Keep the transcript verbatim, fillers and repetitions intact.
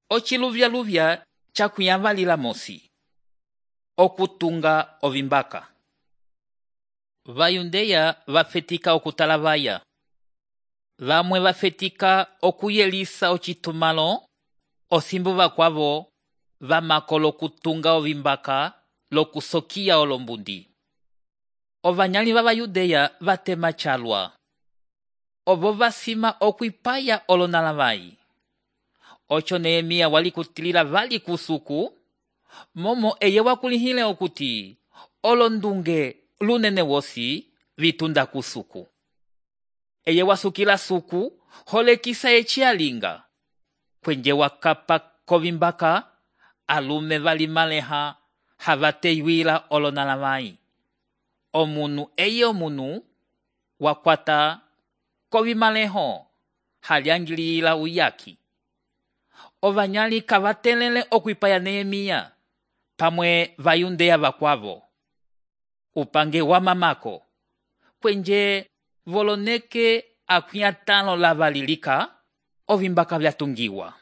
ociluvyaluvya cakwiyavalila mosi okutunga ovimbaka. Vayundeya vafetika okutalavaya. Vamwe vafetika okuyelisa ocitumalo osimbu vakwavo vamako lokutunga ovimbaka lokusokiya olombundi. Ovanyali vavayudeya vatema chalwa. Ovo vasima okwipaya olonalavai. Ocho Nehemia walikutilila vali kusuku, momo eye wakulihile okuti olondunge lunene wosi vitunda kusuku. Eye wasukila suku holekisa echi alinga. Kwenje wakapa kovimbaka alume vali maleha havateyuila olonalavai. Omunu eye omunu wakwata kovimaleho haliangilila uyaki. Ovanyali kavatelele okwipaya Nehemia pamwe vayundeya vakwavo. Upange wa mamako kwenje voloneke akwiyatalo lavalilika ovimbaka vyatungiwa.